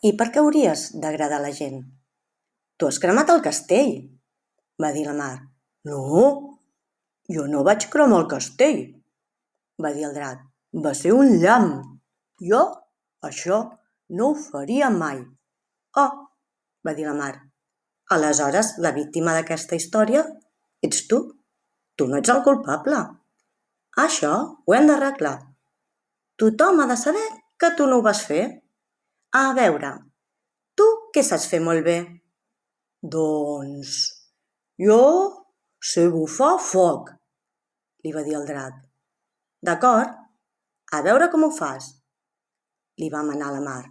I per què hauries d'agradar a la gent? Tu has cremat el castell, va dir la Mar. No, jo no vaig cremar el castell, va dir el drac. Va ser un llamp. Jo això no ho faria mai. Oh, va dir la Mar. Aleshores, la víctima d'aquesta història ets tu. Tu no ets el culpable. Això ho hem d'arreglar. Tothom ha de saber que tu no ho vas fer. A veure, tu què saps fer molt bé? Doncs jo sé bufar foc, li va dir el drac. D'acord, a veure com ho fas, li va manar la Mar.